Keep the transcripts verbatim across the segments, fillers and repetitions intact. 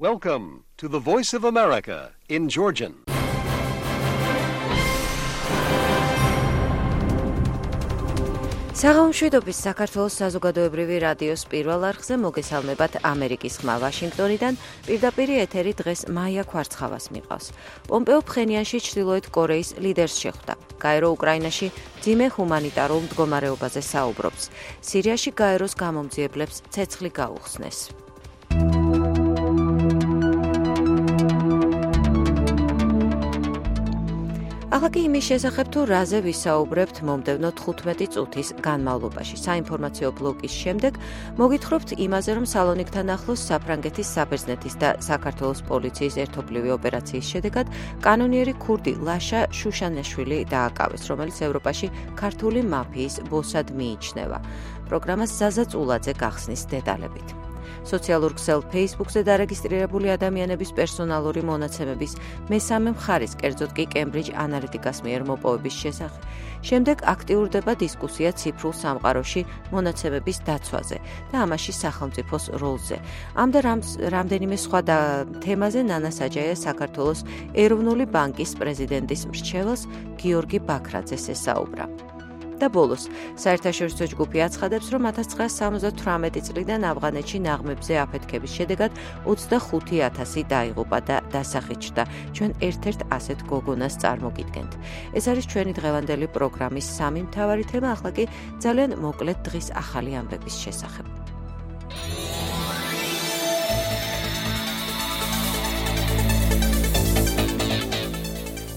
Welcome to the Voice of America in Georgian. საღამოშვიდობის საქართველოს საზოგადოებრივი რადიოს პირველ არხზე მოგესალმებათ ამერიკის ხმა ვაშინგტონიდან. პირდაპირ ეთერი დღეს მაია ქვარცხავას მიყავს. პომპეო ფხენიანში ჩრდილოეთ კორეის ლიდერს შეხვდა. გაერო უკრაინაში მძიმე ჰუმანიტარულ მდგომარეობაზე საუბრობს. სირიაში გაეროს გამომძიებლებს ცეცხლი გაუხსნეს. ახლა კი იმის შესახებ თუ რაზე ვისაუბრებთ მომდევნო თხუთმეტი წუთის განმავლობაში. საინფორმაციო ბლოკის შემდეგ მოგითხრობთ იმაზე, რომ სალონიკთან ახლოს საფრანგეთის საბერძნეთის და საქართველოს პოლიციის ერთობლივი ოპერაციის შედეგად კანონიერი ქურდი ლაშა შუშანაშვილი დააკავეს, რომელიც ევროპაში ქართული მაფიის ბოსად მიიჩნევა. პროგრამას ზაზა წულაძე გახსნის დეტალებით. სოციალურ ქსელ Facebook-ზე დარეგისტრირებული ადამიანების პერსონალური მონაცემების მესამე მხარის, კერძოდ კი Cambridge Analytica-ს მიერ მოპოვების შესახებ. შემდეგ აქტიურდება დისკუსია ციფრულ სამყაროში მონაცემების დაცვაზე და ამაში სახელმწიფოს როლზე. ამ და რამდენიმე სხვა თემაზე ნანა საჯაია საქართველოს ეროვნული ბანკის პრეზიდენტის მრჩეველს გიორგი ბაქრაძეს ესაუბრა. და ბოლოს, საერთაშორისო ჯგუფი აცხადებს, რომ ათას ცხრაასი სამოცდათვრამეტი წლიდან ავღანეთში ნაღმებზე აფეთქების შედეგად ოცდახუთი ათასი დაიღუპა და დასახით ჩრდა. ჩვენ ერთ-ერთ ასეთ გოგონას წარმოგიდგენთ. ეს არის ჩვენი დღევანდელი პროგრამის სამი მთავარი თემა, ახლა კი ძალიან მოკლედ დღის ახალი ამბების შესახებ.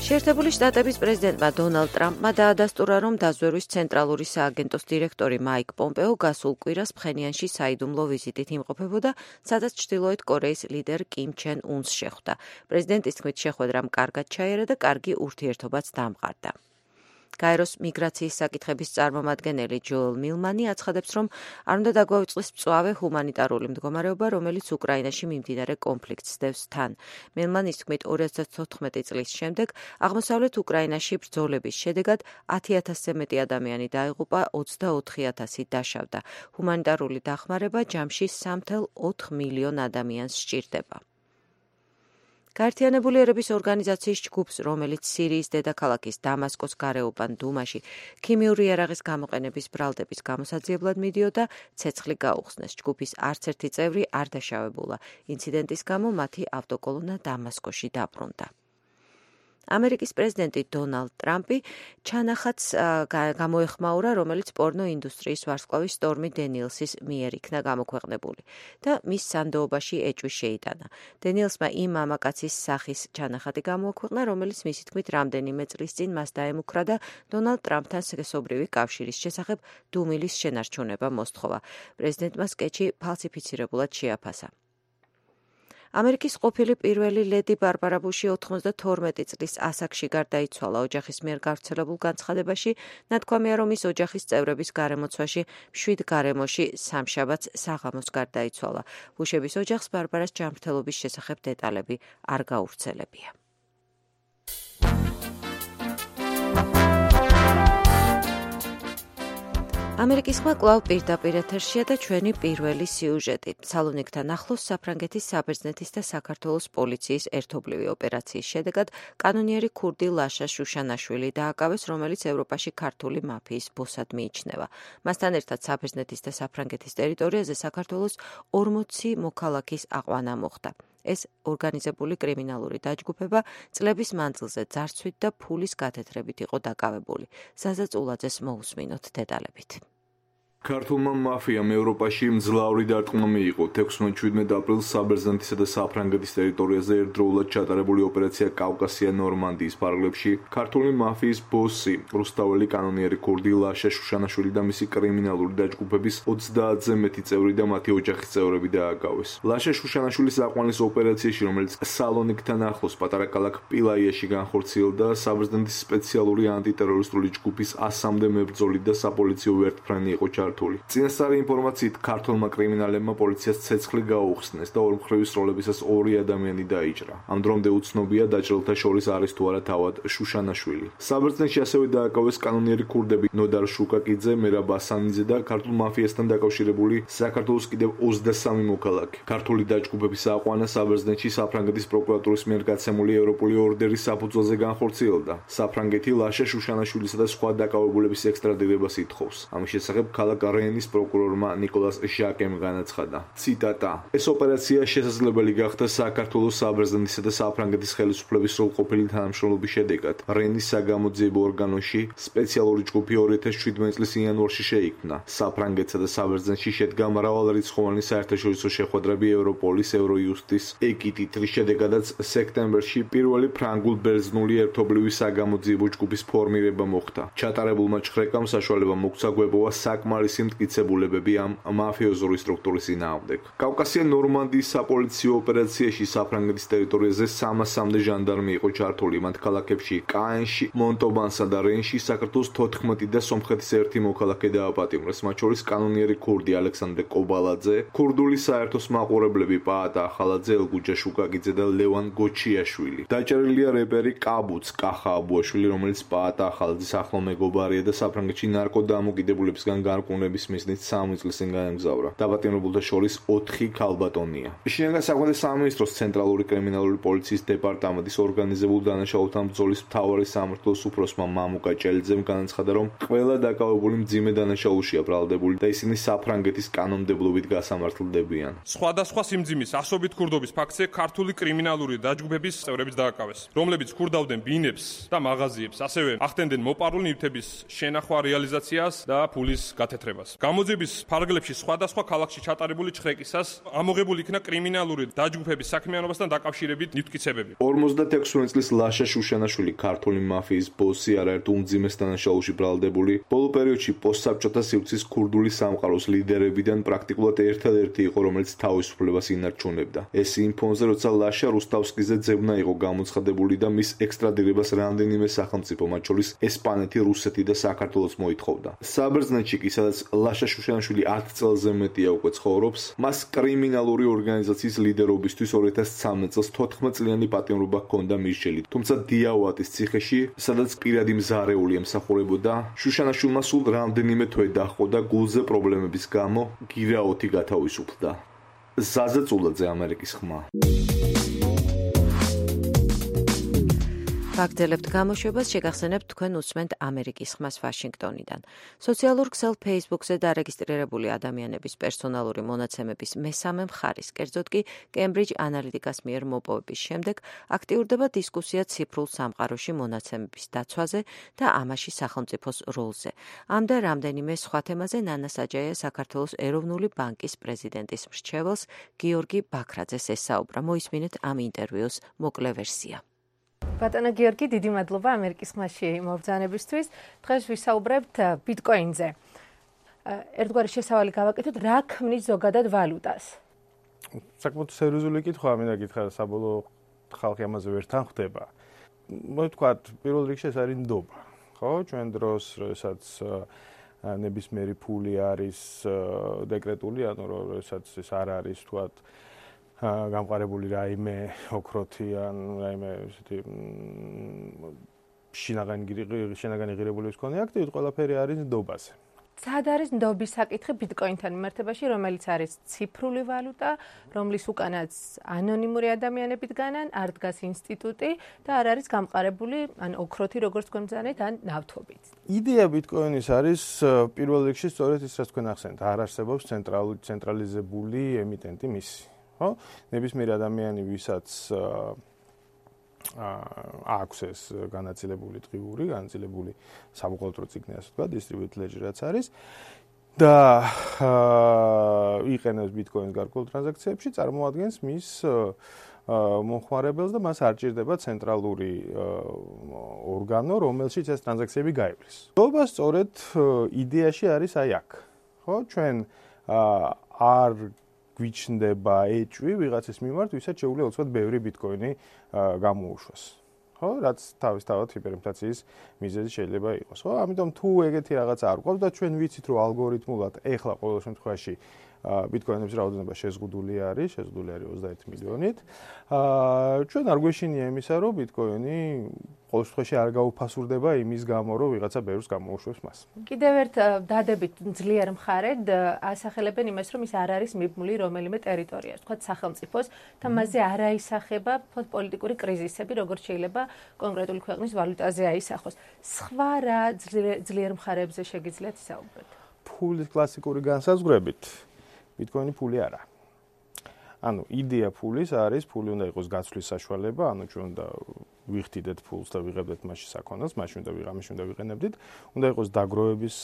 შეერთებული შტატების პრეზიდენტმა დონალდ ტრამპმა დაადასტურა, რომ დაზვერვის ცენტრალური სააგენტოს დირექტორი მაიკ პომპეო გასულ კვირას ფხენიანში საიდუმლო ვიზიტით იმყოფებოდა, სადაც ჩრდილოეთ კორეის ლიდერ კიმ ჩენ უნს შეხვდა. პრეზიდენტის თქმით, შეხვედრამ კარგად ჩაიარა და კარგი ურთიერთობაც დამყარდა. გაეროს მიგრაციის საკითხების წარმომადგენელი ჯოელ მილმანი აცხადებს, რომ არ უნდა დაგვაუწყდეს მწვავე ჰუმანიტარული მდგომარეობა, რომელიც უკრაინაში მიმდინარე კონფლიქტს დევს თან. მილმანის თქმით, ორი ათას თოთხმეტი წლის შემდეგ აღმოსავლეთ უკრაინაში ბრძოლების შედეგად ათი ათასზე მეტი ადამიანი დაიღუპა, ოცდაოთხი ათასი დაშავდა. ჰუმანიტარული დახმარება ჯამში სამი წუთი ოთხ მილიონ ადამიანს სჭირდება. გაერთიანებული ერების ორგანიზაციის ჯგუფს, რომელიც სირიის დედაქალაქის დამასკოს გარეუბან დუმაში ქიმიური იარაღის გამოყენების ბრალდების გამოსაძიებლად მიდიოდა, ცეცხლი გაუხსნეს. ჯგუფის არც ერთი წევრი არ დაშავებულა. ინციდენტის გამო მათი ავტოკოლონა დამასკოში დაბრუნდა. ამერიკის პრეზიდენტი დონალდ ტრამპი ჩანახატს გამოეხმაურა, რომელიც პორნო ინდუსტრიის ვარსკვლავის სტორმი დენიელსის მიერ იქნა გამოქვეყნებული და მის სანდოობაში ეჭვი შეიტანა. დენიელსმა იმ მამაკაცის სახის ჩანახატი გამოაქვეყნა, რომელიც მისი თქმით რამდენიმე წლის წინ მას დაემუქრა და დონალდ ტრამპთან სქესობრივი კავშირის შესახებ დუმილის შენარჩუნება მოსთხოვა. პრეზიდენტმა სკეჩი ფალსიფიცირებულად შეაფასა. ამერიკის ყოფილი პირველი ლედი ბარბარა ბუში ოთხმოცდათორმეტი წლის ასაკში გარდაიცვალა. ოჯახის მიერ გავრცელებულ განცხადებაში ნათქვამია, რომ ის ოჯახის წევრების გარემოცვაში მშვიდ გარემოში სამშაბათს საღამოს გარდაიცვალა. ბუშების ოჯახს ბარბარას ჯანმრთელობის შესახებ დეტალები არ გავრცელებია. ამერიკის ხმა კვლავ პირდაპირ ეთერშია და ჩვენი პირველი სიუჟეტი. სალონიკთან ახლოს საფრანგეთის საბერძნეთის და საქართველოს პოლიციის ერთობლივი ოპერაციის შედეგად კანონიერი ქურდი ლაშა შუშანაშვილი დააკავეს, რომელიც ევროპაში ქართული მაფიის ბოსად მიიჩნევა. მასთან ერთად საბერძნეთის და საფრანგეთის ტერიტორიაზე საქართველოს ორმოცი მოქალაქის აყვანა მოხდა. ეს ორგანიზებული კრიმინალური დაჯგუფება წლების მანძილზე ძარცვით და ფულის გათეთრებით იყო დაკავებული. ზაზა წულაძეს მოусმინოთ დეტალებით. ქართულმა მაფიამ ევროპაში მძლავრი დარტყმა მიიღო. თექვსმეტ-შვიდმეტ აპრილს საბერძნეთისა და საფრანგეთის ტერიტორიაზე ერთდროულად ჩატარებული ოპერაცია კავკასია ნორმანდიის ფარგლებში ქართული მაფიის ბოსი, რუსთაველი კანონიერი ქურდი ლაშა შუშანაშვილი და მისი კრიმინალური დაჯგუფების ოცდაათზე მეტი წევრი და მათი ოჯახის წევრები დააკავეს. ლაშა შუშანაშვილის აყვანის ოპერაციაში, რომელიც სალონიკთან ახლოს პატარა ქალაქ პილაიაში განხორციელდა, საბერძნეთის სპეციალური ანტიტერორისტული ჯგუფის ასამდე მებრძოლი და საპოლიციო ვერტმფრენი იყო ჩართული. ჩართული. წინასწარი ინფორმაციით ქართველმა კრიმინალებმა პოლიციას ცეცხლი გაუხსნეს და ორმხრივი სროლებისას ორი ადამიანი დაიჭრა. ამ დრომდე უცნობია დაჭრილთა შორის არის თუ არა თავად შუშანაშვილი. საბერძნეთში ასევე დააკავეს კანონიერი ქურდები ნოდარ შუკაკიძე, მერაბ ასანიძე და ქართულ მაფიასთან დაკავშირებული საქართველოს კიდევ ოცდასამი მოქალაქე. ქართული დაჯგუფების აყვანა საბერძნეთში საფრანგეთის პროკურატურის მიერ გაცემული ევროპული ორდერის საფუძველზე განხორციელდა. საფრანგეთი ლაშა შუშანაშვილისა და სხვა დაკავებულების ექსტრადირებას ითხოვს. ამის შესახებ ქალაქ რენის პროკურორმა ნიკოლას ჟაკემ განაცხადა. ციტატა: ეს ოპერაცია შესაძლებელი გახდა საქართველოს საბერძნეთისა და საფრანგეთის ხელისუფლების სრულყოფილი თანამშრომლობის შედეგად. რენის საგამოძიებო ორგანოში სპეციალური ჯგუფი ორი ათას შვიდმეტი წლის იანვარში შეიქმნა. საფრანგეთსა და საბერძნეთში შედგა მრავალრიცხოვანი საერთაშორისო შეხვედრები ევროპოლის, ევროიუსტის, ეკიტით, რის შედეგადაც სექტემბერში პირველი ფრანგულ-ბერძნული ერთობლივი საგამოძიებო ჯგუფის ფორმირება მოხდა. ჩატარებულმა ჩხრეკამ საშუალება მოგცა გვეპოვა საკმარისი მტკიცებულებები ამ მაფიოზური სტრუქტურის წინააღმდეგ. კავკასია ნორმანდიის საპოლიციო ოპერაციაში საფრანგეთის ტერიტორიაზე სამასამდე ჟანდარმი იყო ჩართული. მათ ქალაქებში კაენში, მონტობანსა და რენში საქართველოს თოთხმეტი და სომხეთის ერთი მოქალაქე დააპატიმრეს, მათ შორის კანონიერი ქურდი ალექსანდრე კობალაძე, ქურდული საერთოს მაყურებლები პაატა ახალაძე, ელგუჯა შუკაკიძე და ლევან გოჩიაშვილი. დაჭერილია რეპერი კაბუც კახა აბუაშვილი, რომელიც პაატა ახალაძის ახლო მეგობარია და საფრანგეთში ნარკოდამოკიდებულებისგან გარკვევნების მიზნით სამი წლის წინ გაემგზავრა. დაპატიმრებულთა შორის ოთხი ქალბატონია. შინაგან საქმეთა სამინისტროს ცენტრალური კრიმინალური პოლიციის დეპარტამენტის ორგანიზებულ დანაშაულთა ბრძოლის მთავარი სამმართველოს უფროსმა მამუკა ჭელიძემ განაცხადა, რომ ყველა დაკავებული მძიმე დანაშაულშია ბრალდებული და ისინი საფრანგეთის კანონმდებლობით გასამართლდებიან. სხვადასხვა სიმძიმის ასობით ქურდობის ფაქტზე ქართული კრიმინალური დაჯგუფების წევრებიც დააკავეს, რომლებიც ქურდავდნენ ბინებს და მაღაზიებს, ასევე ახდენდნენ მოპარული ნივთების შენახვა, რეალიზაციას და ფულის გათეთრებას. გამოძიების ფარგლებში სხვადასხვა ქალაქში ჩატარებული ჩხრეკისას ამოღებული იქნა კრიმინალური დაჯგუფების საქმიანობასთან დაკავშირებით ნივთკიცებები. ორმოცდაექვსი წლის ლაშა შუშანაშვილი ქართული მაფიის ბოსი, არაერთ უმძიმეს დანაშაულში ბრალდებული, ბოლო პერიოდში პოსტსაბჭოთა სივრცის ქურდული სამყაროს ლიდერებიდან პრაქტიკულად ერთადერთი იყო, რომელიც თავისუფლებას ინარჩუნებდა. ეს იმ ფონზე, როცა ლაშა რუსტავსკიზე ძებნა იყო გამოცხადებული და მის ექსტრადირებას რამდენიმე სახელმწიფო, მათ შორის ესპანეთი, რუსეთი და საქართველოს მოითხოვდა. საბერძნეთში კი, სადაც ლაშა შუშანაშვილი ათ წელზე მეტია უკვე ცხოვრობს, მას კრიმინალური ორგანიზაციის ლიდერობისთვის ორი ათას ცხრამეტ წელს თოთხმეტ წლიანი პატიმრობა ჰქონდა მირჩელი. თუმცა დიაუატის ციხეში, სადაც პირადი მზარეული ემსახურებოდა, შუშანაშვილმა სულ რამდენიმე თვე დაჰყო და გულზე პრობლემების გამო გირაოთი გათავისუფლდა. ზაზა წულაძე, ამერიკის ხმა. ვაგრძელებთ გამოშვებას, შეგახსენებთ თქვენ უსმენთ ამერიკის ხმას ვაშინგტონიდან. სოციალურ ქსელ Facebook-ზე დარეგისტრირებული ადამიანების პერსონალური მონაცემების მესამე მხარის, კერძოდ კი Cambridge Analytica-ს მიერ მოპოვების შემდეგ აქტიურდება დისკუსია ციფრულ სამყაროში მონაცემების დაცვაზე და ამაში სახელმწიფოს როლზე. ამ და რამდენიმე სხვა თემაზე ნანა საჯაია საქართველოს ეროვნული ბანკის პრეზიდენტის მრჩეველს გიორგი ბაქრაძეს ესაუბრა. მოისმინეთ ამ ინტერვიუს მოკლე ვერსია. ბატონო გიორგი, დიდი მადლობა ამერიკის ხმაში მობრძანებისთვის. დღეს ვისაუბრებთ ბიტკოინზე. ერთგვარი შესავალი გავაკეთოთ, რა ქმნის ზოგადად ვალუტას? საკმაოდ სერიოზული კითხვაა, მინდა გითხრა, საბოლოო ხალხი ამაზე ვერ თანხდება. მოთქვათ, პირველ რიგში ეს არის ნდობა. ხო, ჩვენ დროს, როდესაც ნებისმიერი ფული არის დეკრეტული, ანუ როდესაც ეს არ არის თქვათ გამყარებული რაიმე ოქროთი ან რაიმე ესეთი შინაგანი ღირებულების მქონე აქტივით, ყველაფერი არის ნდობაზე. სად არის ნდობის საკითხი ბიტკოინთან მიმართებაში, რომელიც არის ციფრული ვალუტა, რომლის უკანაც ანონიმური ადამიანები დგანან, არ დგას ინსტიტუტი და არ არის გამყარებული ან ოქროთი, როგორც თქვენ ბრძანეთ, ან ნავთობით. იდეა ბიტკოინის არის პირველ რიგში სწორედ ის, რაც თქვენ ახსენეთ, არ არსებობს ცენტრალიზებული ემიტენტი მისი. ხო? ნებისმიერ ადამიანი, ვისაც აქვს ეს განაწილებული დღიური, განაწილებული საბუღალტრო წიგნი, ასე ვთქვათ, distributed ledger რაც არის და იყენებს ბიტკოინს გარკვეულ ტრანზაქციებში, წარმოადგენს მის მომხმარებელს და მას არ ჭირდება ცენტრალური ორგანო, რომელშიც ეს ტრანზაქციები გაივლის. ნდობა სწორედ იდეაში არის აი აქ. ხო? ჩვენ არ გვიჩნდება ეჭვი ვიღაცის მიმართ, ვისაც შეუძლია უცბად ბევრი ბიტკოინი გამოუშვას. ხო? რაც თავისთავად ჰიპერინფლაციის მიზეზი შეიძლება იყოს, ხო? ამიტომ თუ ეგეთი რაღაცა არ გვყავს და ჩვენ ვიცით, რომ ალგორითმულად ეხლა ყოველ შემთხვევაში ბიტკოინების რაოდენობა შეზღუდული არის, შეზღუდული არის ოცდაერთი მილიონით. აა ჩვენ არ გვეშინია იმისა, რომ ბიტკოინი ყოველ შემთხვევაში არ გაუფასურდება იმის გამო, რომ ვიღაცა ბევრს გამოუშვებს მას. კიდევ ერთ დადებით ძლიერ მხარედ ასახელებენ იმას, რომ ის არ არის მიბმული რომელიმე ტერიტორიას, თქვა სახელმწიფოს და მასზე არ აისახება პოლიტიკური კრიზისები, როგორც შეიძლება კონკრეტული ქვეყნის ვალუტაზე აისახოს. სხვა რა ძლიერ მხარებზე შეგიძლიათ ისაუბროთ? ფულის კლასიკური განსაზღვრებით ბიტკოინი ფული არა. ანუ იდეა ფულის არის, ფული უნდა იყოს გაცვლის საშუალება, ანუ ჩვენ უნდა ვიხდიდეთ ფულს და ვიღებდეთ მასში საქონელს, მაშინ უნდა ვიღამის უნდა ვიყენებდით. უნდა იყოს დაგროვების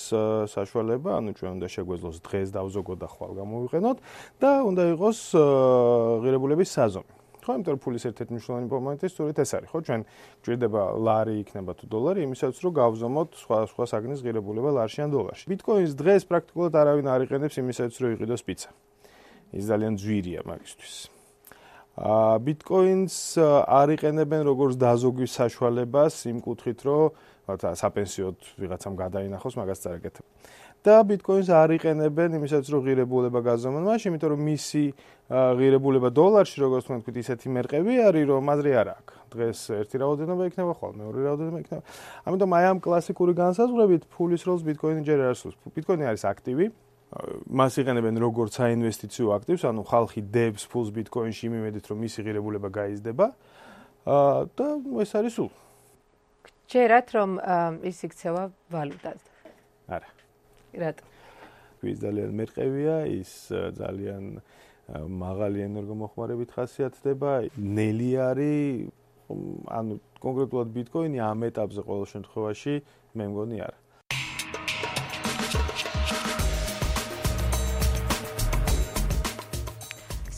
საშუალება, ანუ ჩვენ უნდა შეგვეძლოს დღეს დავზოგოთ და ხვალ გამოვიყენოთ და უნდა იყოს ღირებულების საზომი. ხო, იმიტომ რომ ფულის ერთ-ერთი მნიშვნელოვანი მომენტი სწორედ ეს არის, ხო? ჩვენ გვჭირდება ლარი იქნება თუ დოლარი, იმისაც რომ გავზომოთ სხვა სხვა საგნის ღირებულება ლარში ან დოლარში. ბიტკოინს დღეს პრაქტიკულად არავინ არ იყენებს იმისაც რომ იყიდოს პიცა. ის ძალიან ძვირია მაგისთვის. აა ბიტკოინს არ იყენებენ როგორც დაზოგვის საშუალებას იმ კუთხით, რომ საპენსიოდ ვიღაცამ გადაინახოს, მაგას წარეკეთებ. და ბიტკოინს არ იყენებენ იმისაც რომ ღირებულება გაზომონ მაშინ, იმიტომ რომ მისი ღირებულება დოლარში, როგორც თქვენ თქვით, ისეთი მერყევი არის, რომ აზრი არ აქვს. დღეს ერთი რაოდენობა იქნება, ხვალ მეორე რაოდენობა იქნება. ამიტომ აი ამ კლასიკური განსაზღვრებით ფულის როლს ბიტკოინი ჯერ არ ასრულებს. ბიტკოინი არის აქტივი. მას იყენებენ როგორც საინვესტიციო აქტივს, ანუ ხალხი დებს ფულს ბიტკოინში იმ იმედით, რომ მისი ღირებულება გაიზრდება. და ეს არის სულ. ჯერათ რომ ის იქცევა ვალუტად. არა. რატო? ის ძალიან მერყევია, ის ძალიან მაღალი ენერგომოხმარებით ხასიათდება, ნელი არის, ანუ კონკრეტულად ბიტკოინი ამ ეტაპზე ყოველ შემთხვევაში მე მგონი არა.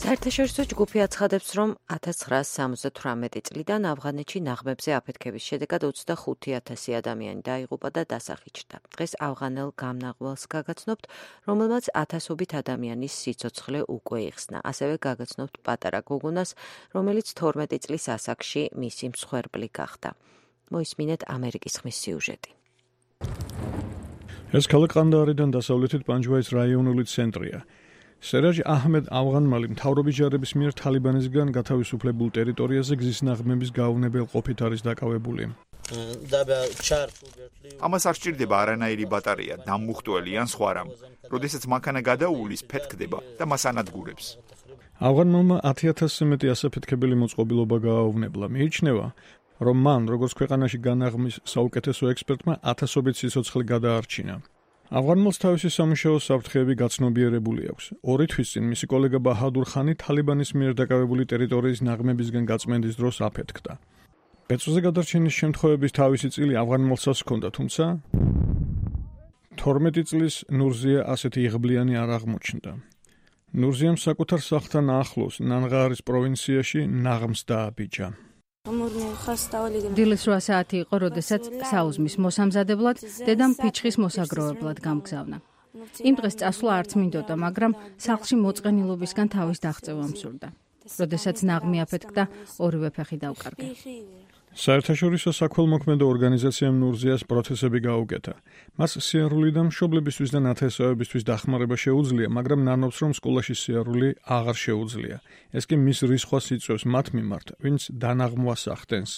საერთაშორისო ჯგუფი აცხადებს, რომ ათას ცხრაას სამოცდათვრამეტი წლიდან ავღანეთში ნაღმებზე აფეთქების შედეგად ოცდახუთი ათასი ადამიანი დაიღუპა და დასახიჩრდა. დღეს ავღანელ გამნაღველს გაგაცნობთ, რომელმაც ათასობით ადამიანის სიცოცხლე უკვე იხსნა. ასევე გაგაცნობთ პატარა გოგონას, რომელიც თორმეტი წლის ასაკში მისი მსხვერპლი გახდა. მოისმინეთ ამერიკის ხმის სიუჟეტი. ეს ქალაქ ყანდაარიდან დასავლეთით პანჯვაის რაიონული ცენტრია. სერაჯ აჰმედ ავღანმალი მთავრობის ჯარების მიერ თალიბანისგან გათავისუფლებულ ტერიტორიაზე გზის ნაღმების გაუნებელ ყოფით არის დაკავებული. ამას არ სჭირდება არანაირი ბატარეა, დამუხტველი ან სხვა რამ. როდესაც მანქანა გადაუვლის, ფეთქდება და მას ანადგურებს. ავღანმალმა ათი ათასზე მეტი ასაფეთქებელი მოწყობილობა გააუვნებლა. მიიჩნევა, რომ მან, როგორც ქვეყანაში განაღმის საუკეთესო ექსპერტმა, ათასობით სიცოცხლე გადაარჩინა. ავღანმალს თავისი სამუშაო საფრთხეები გაცნობიერებული აქვს. ორი თვის წინ მისი კოლეგა ბაჰადურ ხანი თალიბანის მიერ დაკავებული ტერიტორიის ნაღმებისგან გაწმენდის დროს აფეთქდა. ბეწვზე გადარჩენის შემთხვევების თავისი წილი ავღანმალსაც ჰქონდა, თუმცა თორმეტი წლის ნურზია ასეთი იღბლიანი არ აღმოჩნდა. ნურზიამ საკუთარ სახლთან ახლოს ნანღარის პროვინციაში ნაღმს დააბიჯა. დილის რვა საათი იყო, როდესაც საუზმის მოსამზადებლად დედამ ფიჩხის მოსაგროვებლად გამგზავნა. იმ დღეს წასვლა არც მინდოდა, მაგრამ სახლში მოწყენილობისგან თავის დაღწევა მსურდა. როდესაც ნაღმი აფეთქდა, ორივე ფეხი დავკარგა. საერთაშორისო საქველმოქმედო ორგანიზაციამ ნურზიას პროცესები გაუკეთა. მას სიარული და მშობლებისთვის და ნათესავებისთვის დახმარება შეუძლია, მაგრამ ნანობს, რომ სკოლაში სიარული აღარ შეუძლია. ეს კი მის რისხვას იწვევს მათ მიმართ, ვინც დანაღმვას ახდენს.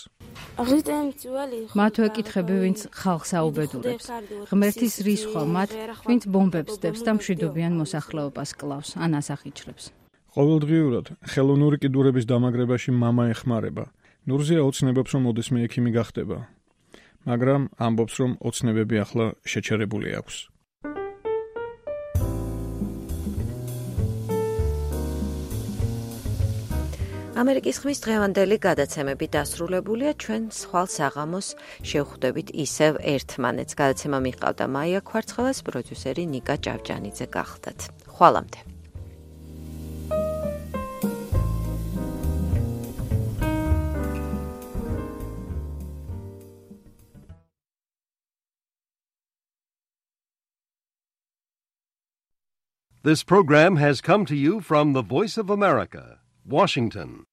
მათ ვეკითხები, ვინც ხალხს აუბედურებს. ღმერთის რისხვა მათ, ვინც ბომბებს დებს და მშვიდობიან მოსახლეობას კლავს ან ასახიჩრებს. ყოველდღიურად ხელოვნური კიდურების დამაგრებაში მამა ეხმარება. ნურზია ოცნებობს, რომ ოდესმე ექიმი გახდება, მაგრამ ამბობს, რომ ოცნებები ახლა შეჩერებული აქვს. ამერიკის ხმის დღევანდელი გადაცემები დასრულებულია, ჩვენ ხვალ საღამოს შევხვდებით ისევ ერთმანეთს. გადაცემა მიყავდა მაია ქვარცხელას, პროდიუსერი ნიკა ჭავჭანიძე გახლდათ. ხვალამდე. This program has come to you from the Voice of America, Washington.